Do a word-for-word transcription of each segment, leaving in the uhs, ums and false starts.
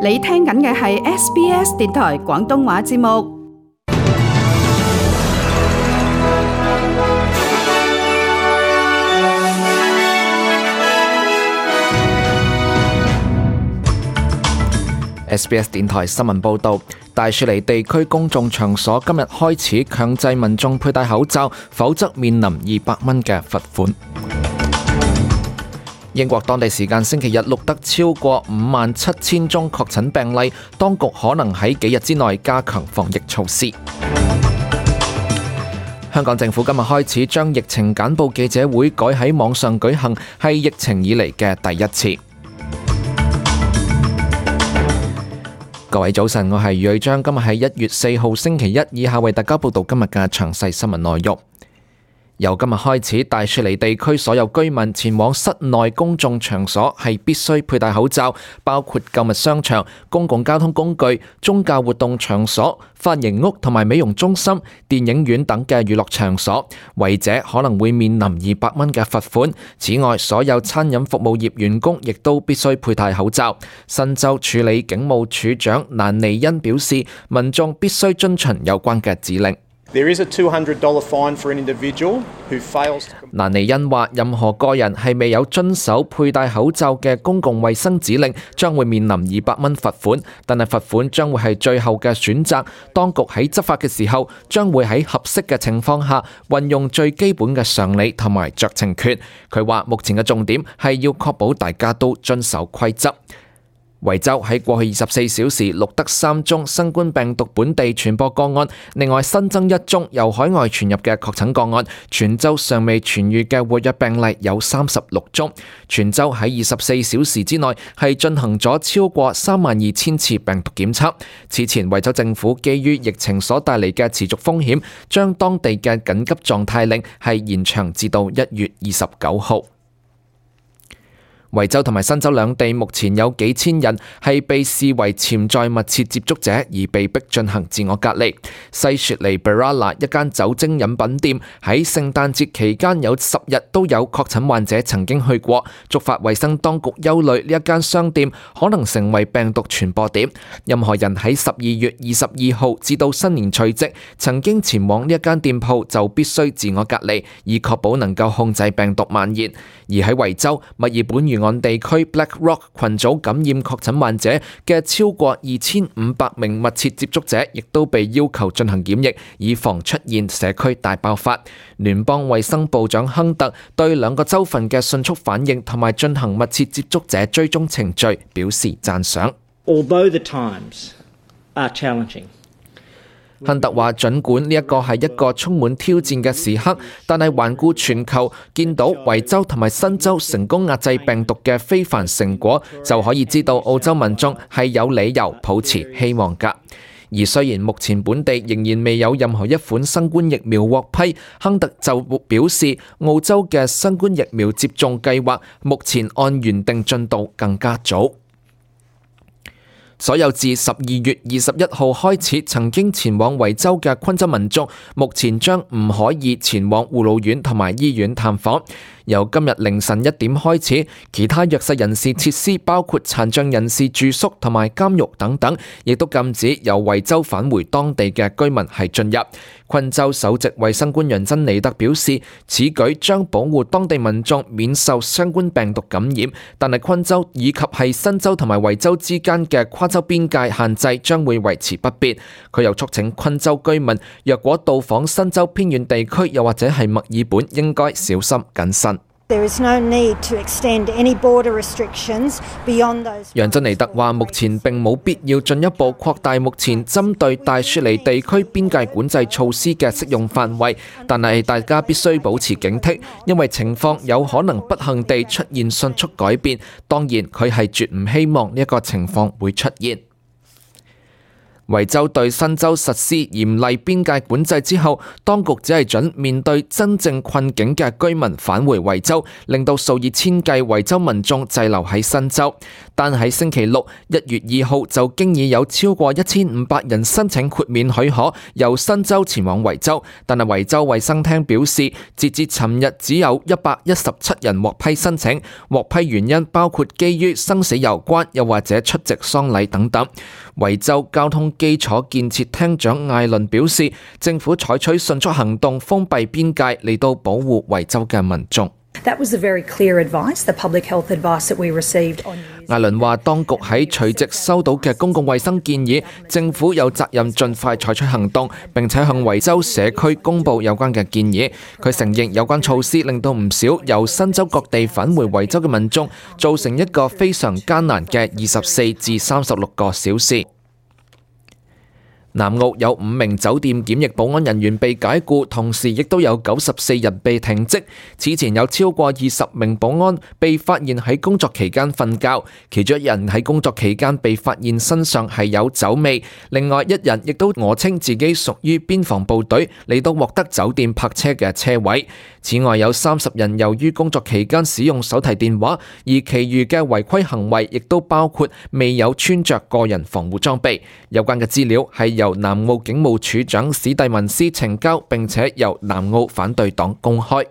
你聽緊嘅係 S B S 電台廣東話節目。S B S 電台新聞報導，大雪梨地區公眾場所今日開始強制民眾佩戴口罩，否則面臨二百蚊嘅罰款。英國當地時間星期日錄得超過五萬七千宗確診病例，當局可能喺幾日之內加強防疫措施。香港政府今日開始將疫情簡報記者會改喺網上舉行，係疫情以嚟嘅第一次。各位早晨，我係余瑞章，今日係一月四號星期一，以下為大家報道今日嘅詳細新聞內容。由今日開始，大雪梨地區所有居民前往室內公眾場所係必須佩戴口罩，包括購物商場、公共交通工具、宗教活動場所、髮型屋同埋美容中心、電影院等嘅娛樂場所，違者可能會面臨二百蚊嘅罰款。此外，所有餐飲服務業員工亦都必須佩戴口罩。新州處理警務處長蘭尼恩表示，民眾必須遵循有關嘅指令。There is a two hundred dollars fine for an individual who fails to... 蘭尼恩話，任何個人係未有遵守佩戴口罩嘅公共衛生指令，將會面臨二百蚊罰款，但係罰款將會係最後嘅選擇。當局喺執法嘅時候，將會喺合適嘅情況下運用最基本嘅常理同埋酌情權。佢話目前嘅重點係要確保大家都遵守規則。維州喺過去二十四小時錄得三宗新冠病毒本地傳播個案，另外新增一宗由海外傳入嘅確診個案。全州尚未痊癒嘅活躍病例有三十六宗。全州喺二十四小時之內係進行咗超過三萬二千次病毒檢測。此前維州政府基於疫情所帶嚟嘅持續風險，將當地嘅緊急狀態令係延長至到一月二十九號。維州同埋新州兩地目前有幾千人係被視為潛在密切接觸者而被迫進行自我隔離。西雪梨 Berala 一間酒精飲品店喺聖誕節期間有十日都有確診患者曾經去過，觸發衛生當局憂慮呢一間商店可能成為病毒傳播點。任何人喺十二月二十二號至到新年除夕曾經前往呢一間店鋪就必須自我隔離，以確保能夠控制病毒蔓延。而喺維州墨爾本沿岸地區 Black Rock 群組感染確診患者嘅超過二千五百名密切接觸者，亦都被要求進行檢疫，以防出現社區大爆發。聯邦衛生部長亨特對兩個州份嘅迅速反應同埋進行密切接觸者追蹤程序表示讚賞。Although the times are challenging. 亨特話，儘管呢一個係一個充滿挑戰嘅時刻，但係環顧全球，見到維州同埋新州成功壓制病毒嘅非凡成果，就可以知道澳洲民眾係有理由抱持希望㗎。而雖然目前本地仍然未有任何一款新冠疫苗獲批，亨特就表示，澳洲嘅新冠疫苗接種計劃目前按原定進度更加早。所有自十二月二十一號開始曾經前往維州嘅昆州民眾，目前將唔可以前往護老院同埋醫院探訪。由今日凌晨一點開始，其他弱勢人士設施包括殘障人士住宿同埋監獄等等，亦都禁止由維州返回當地嘅居民係進入。昆州首席衛生官楊珍尼特表示，此舉將保護當地民眾免受相關病毒感染，但係昆州以及係新州同埋維州之間嘅跨州邊界限制將會維持不變。佢又促請昆州居民，若果到訪新州偏遠地區又或者係墨爾本，應該小心謹慎。There is no need to extend any border restrictions beyond those. 楊珍尼特話：目前並冇必要進一步擴大目前針對大雪梨地區邊界管制措施嘅適用範圍，但係大家必須保持警惕，因為情況有可能不幸地出現迅速改變。當然，佢係絕唔希望呢一個情況會出現。維州對新州實施嚴厲邊界管制之後，當局只係准面對真正困境嘅居民返回維州，令到數以千計維州民眾滯留喺新州。但喺星期六一月二號就經已有超過一千五百人申請豁免許可，由新州前往維州。但係維州衛生廳表示，截至尋日只有一百一十七人獲批申請，獲批原因包括基於生死有關，又或者出席喪禮等等。維州交通基礎建設廳長艾倫表示，政府採取迅速行動封閉邊界嚟到保護維州嘅民眾。That was the very clear advice, the public health advice that we received on New Zealand. 艾倫話，當局喺除夕收到嘅公共衛生建議，政府有責任盡快採取行動，並且向維州社區公佈有關嘅建議。佢承認有關措施令到唔少由新州各地返回維州嘅民眾造成一個非常艱難嘅二十四至三十六個小時。南澳有五名酒店檢疫保安人員被解僱，同時亦都有九十四人被停職。此前有超過二十名保安被發現喺工作期間瞓覺，其中一人喺工作期間被發現身上係有酒味，另外一人亦都訛稱自己屬於邊防部隊嚟到獲得酒店泊車嘅車位。此外有三十人由於工作期間使用手提電話，而其餘嘅違規行為亦都包括未有穿着個人防護裝備。有關嘅資料係由南澳警務處長史蒂文斯呈交，並且由南澳反對黨公開。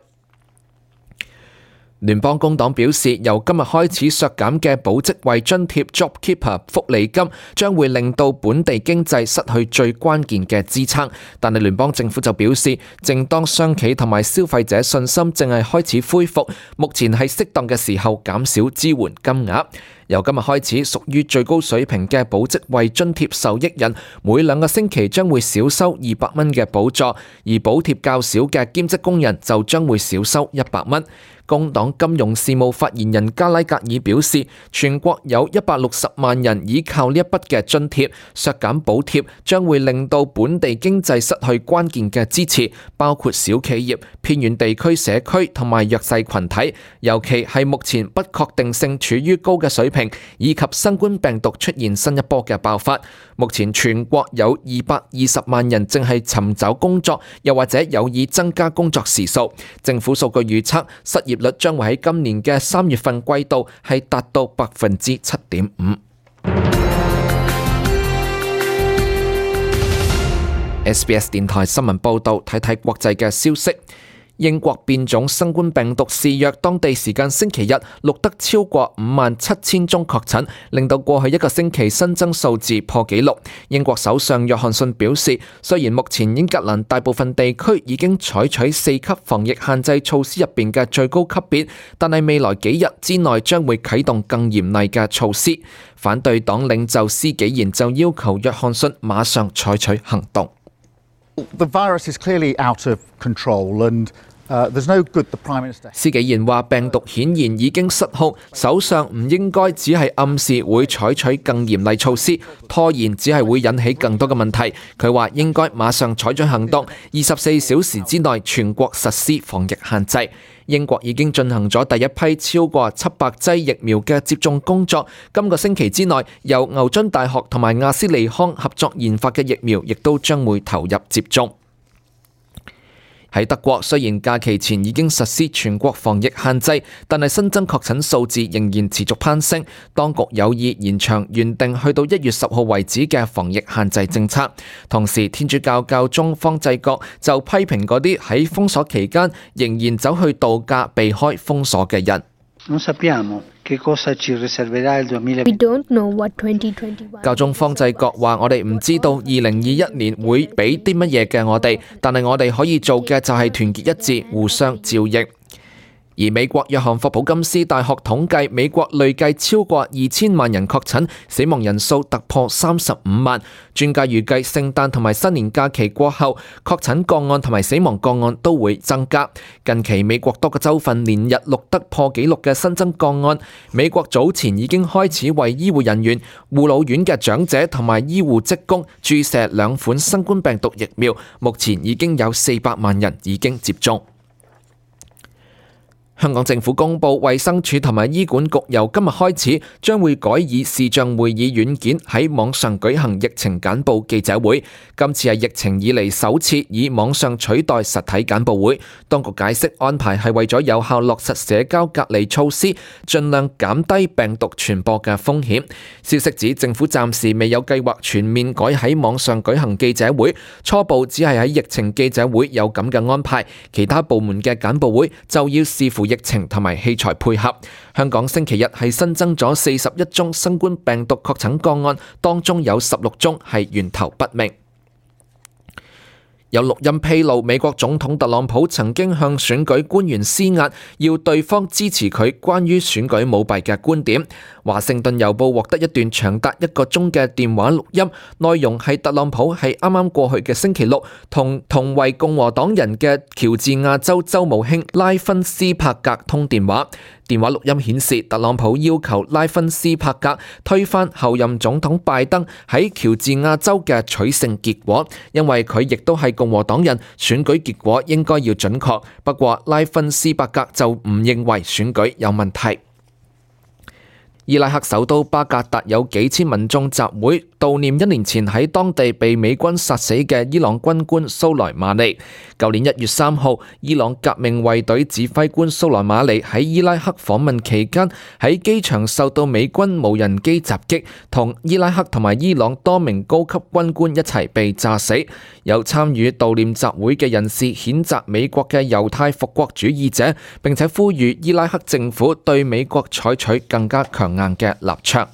聯邦工黨表示，由今日開始削減嘅保職位津貼 JobKeeper 福利金將會令到本地經濟失去最關鍵嘅支撐，但係聯邦政府就表示，正當商企同埋消費者信心正係開始恢復，目前係適當嘅時候減少支援金額。由今日開始，屬於最高水平嘅保職位津貼受益人每兩個星期將會少收二百蚊嘅補助，而補貼較少嘅兼職工人就將會少收一百蚊。工黨金融事務發言人加拉格爾表示，全國有一百六十萬人依靠呢一筆嘅津貼，削減補貼將會令到本地經濟失去關鍵嘅支持，包括小企業、偏遠地區社區同埋弱勢群體，尤其係目前不確定性處於高嘅水平，以及新冠病毒出現新一波嘅爆發。目前全國有二百二十萬人正係尋找工作，又或者有意增加工作時數。政府數據預測，失業率將會喺今年嘅三月份季度係達到百分之七點五。S B S 電台新聞報道，睇睇國際嘅消息。英國變種新冠病毒肆虐，當地時間星期日錄得超過五萬七千宗確診，令到過去一個星期新增數字破紀錄。英國首相約翰遜表示，雖然目前英格蘭大部分地區已經採取四級防疫限制措施入邊嘅最高級別，但係未來幾日之內將會啟動更嚴厲嘅措施。反對黨領袖施紀賢就要求約翰遜馬上採取行動。The virus is clearly out of control and uh, there's no good the Prime Minister. 施紀賢話病毒顯然已經失控，首相唔應該只係暗示會採取更嚴厲措施，拖延只係會引起更多嘅問題。佢話應該馬上採取行動，二十四小時之內全國實施防疫限制。英國已經進行咗第一批超過七百劑疫苗嘅接種工作，今個星期之內由牛津大學同埋亞斯利康合作研發嘅疫苗亦都將會投入接種。喺德國，雖然假期前已經實施全國防疫限制，但係新增確診數字仍然持續攀升。當局有意延長原定去到一月十號為止嘅防疫限制政策。同時，天主教教宗方濟各就批評嗰啲喺封鎖期間仍然走去度假避開封鎖嘅人。Non sappiamo che cosa ci riserverà il duemilaventi. We don't know what twenty twenty-one. 教宗方濟各話：我哋唔知道二零二一年會俾啲乜嘢嘅我哋，但係我哋可以做嘅就係團結一致，互相照應。而美國約翰霍普金斯大學統計，美國累計超過二千萬人確診，死亡人數突破三十五萬。專家預計聖誕同埋新年假期過後，確診個案同埋死亡個案都會增加。近期美國多個州份連日錄得破紀錄嘅新增個案。美國早前已經開始為醫護人員、護老院嘅長者同埋醫護職工注射兩款新冠病毒疫苗，目前已經有四百萬人已經接種。香港政府公布，衛生署同埋醫管局由今日開始將會改以視像會議軟件喺網上舉行疫情簡報記者會。今次係疫情以嚟首次以網上取代實體簡報會。當局解釋安排係為咗有效落實社交隔離措施，盡量減低病毒傳播嘅風險。消息指政府暫時未有計劃全面改喺網上舉行記者會，初步只係喺疫情記者會有咁嘅安排，其他部門嘅簡報會就要視乎疫情同埋器材配合。香港星期日係新增咗四十一宗新冠病毒確診個案，當中有十六宗係源頭不明。有錄音披露，美國總統特朗普曾經向選舉官員施壓，要對方支持佢關於選舉舞弊嘅觀點。華盛頓郵報獲得一段長達一個鐘嘅電話錄音，內容係特朗普喺啱啱過去嘅星期六同同為共和黨人嘅喬治亞州州務卿拉芬斯帕格通電話。電話錄音顯示，特朗普要求拉芬斯帕格推翻後任總統拜登喺喬治亞州嘅取勝結果，因為佢亦都係共和黨人，選舉結果應該要準確。不過拉芬斯帕格就唔認為選舉有問題。伊拉克首都巴格達有幾千民眾集會悼念一年前喺當地被美軍殺死嘅伊朗軍官蘇萊馬尼。舊年一月三號，伊朗革命衛隊指揮官蘇萊馬尼喺伊拉克訪問期間，喺機場受到美軍無人機襲擊，同伊拉克同埋伊朗多名高級軍官一齊被炸死。有參與悼念集會嘅人士譴責美國嘅猶太復國主義者，並且呼籲伊拉克政府對美國採取更加強硬嘅立場。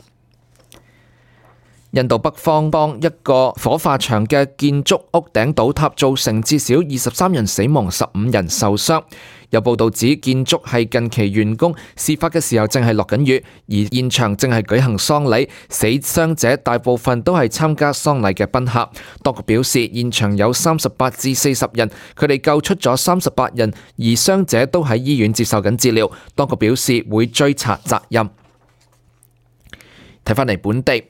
印度北方邦一個火化場嘅建築屋頂倒塌，造成至少二十三人死亡，十五人受傷。有報道指建築係近期完工，事發嘅時候正係落緊雨，而現場正係舉行喪禮。死傷者大部分都係參加喪禮嘅賓客。當局表示，現場有三十八至四十人，佢哋救出咗三十八人，而傷者都喺醫院接受緊治療。當局表示會追查責任。睇返嚟本地。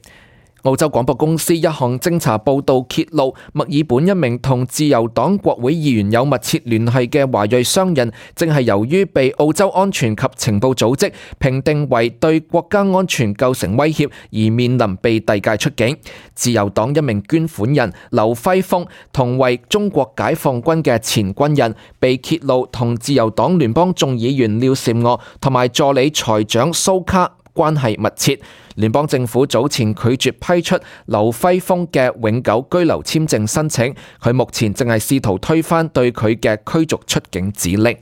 澳洲廣播公司一項偵查報導揭露，墨爾本一名同自由黨國會議員有密切聯繫嘅華裔商人，正係由於被澳洲安全及情報組織評定為對國家安全構成威脅，而面臨被遞解出境。自由黨一名捐款人劉輝峰同為中國解放軍嘅前軍人，被揭露同自由黨聯邦眾議員廖善娥同埋助理財長蘇卡關係密切。聯邦政府早前拒絕批出劉輝峰嘅永久居留簽證申請，佢目前正係試圖推翻對佢嘅驅逐出境指令。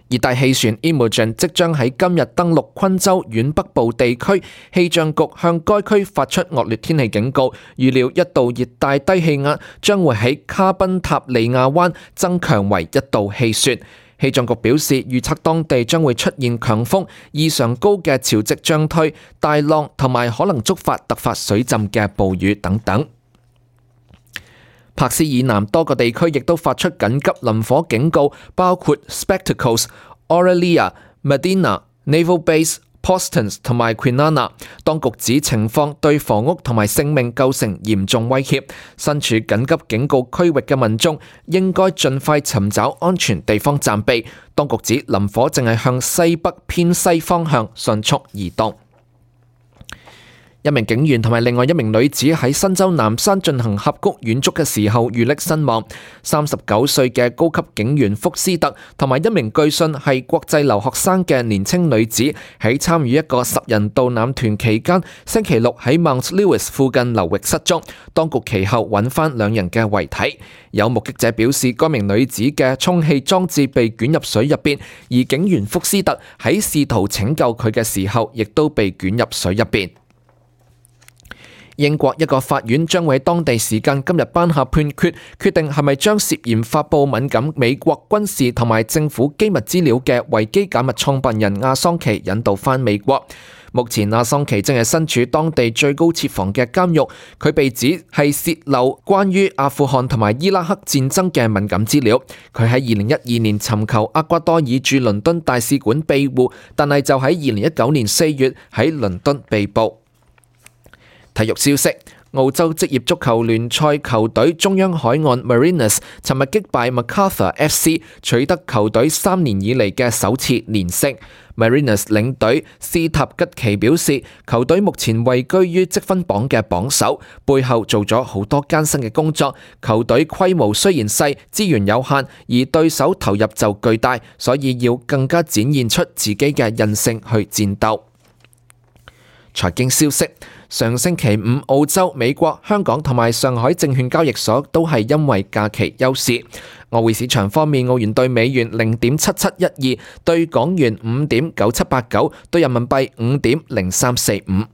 熱帶氣旋 Imogen 即將喺今日登陸昆州遠北部地區，氣象局向該區發出惡劣天氣警告，預料一道熱帶低氣壓將會喺卡賓塔利亞灣增強為一道氣旋。氣象局表示，預測當地將會出現強風、異常高嘅潮汐漲退、大浪同埋可能觸發突發水浸嘅暴雨等等。柏斯以南多個地區亦都發出緊急林火警告，包括 Spectacles、Aurelia、Medina、Naval Base、Postons 同埋 Kwinana。當局指情況對房屋同埋性命構成嚴重威脅，身處緊急警告區域嘅民眾應該盡快尋找安全地方暫避。當局指林火正係向西北偏西方向迅速移動。一名警員同埋另外一名女子喺新州南山進行峽谷遠足嘅時候遇溺身亡。三十九歲嘅高級警員福斯特同埋一名據信係國際留學生嘅年輕女子喺參與一個十人導覽團期間，星期六喺 Mount Lewis 附近流域失蹤。當局其後揾翻兩人嘅遺體。有目擊者表示，該名女子嘅充氣裝置被捲入水入邊，而警員福斯特喺試圖拯救佢嘅時候，亦都被捲入水入邊。英國一個法院將會喺當地時間今日頒下判決，決定係咪將涉嫌發佈敏感美國軍事同埋政府機密資料嘅維基解密創辦人阿桑奇引渡返美國。目前阿桑奇正係身處當地最高設防嘅監獄，佢被指係洩漏關於阿富汗同埋伊拉克戰爭嘅敏感資料。佢喺二零一二年尋求厄瓜多爾駐倫敦大使館庇護，但係就喺二零一九年四月喺倫敦被捕。體育消息：澳洲職業足球聯賽球隊中央海岸 Mariners 尋日擊敗 Macarthur F C， 取得球隊三年以嚟嘅首次連勝。Mariners 領隊斯塔吉奇表示，球隊目前位居於積分榜嘅榜首，背後做咗好多艱辛嘅工作。球隊規模雖然細，資源有限，而對手投入就巨大，所以要更加展現出自己嘅韌性去戰鬥。財經消息，上星期五，澳洲、美國、香港同埋上海證券交易所都係因為假期休市。外匯市場方面，澳元對美元零點七七一二，對港元五點九七八九，對人民幣五點零三四五。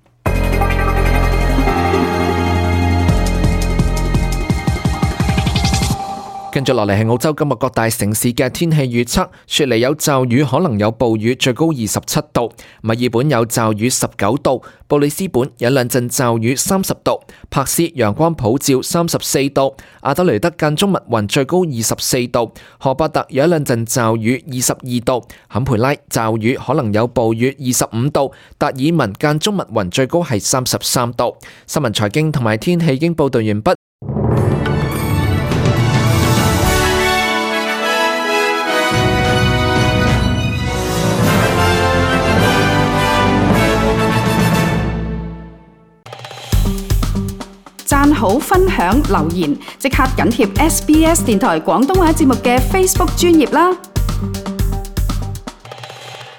跟住落嚟係澳洲今日各大城市嘅天氣預測，雪梨有驟雨，可能有暴雨，最高二十七度；墨爾本有驟雨，十九度；布里斯本有兩陣驟雨，三十度；珀斯陽光普照，三十四度；阿德雷德間中密雲，最高二十四度；荷伯特有一兩陣驟雨，二十二度；坎培拉驟雨，可能有暴雨，二十五度；達爾文間中密雲，最高係三十三度。新聞財經同埋天氣已經報道完畢。讚好、分享、留言，即刻緊貼 S B S 電台廣東話節目嘅 Facebook 專頁啦！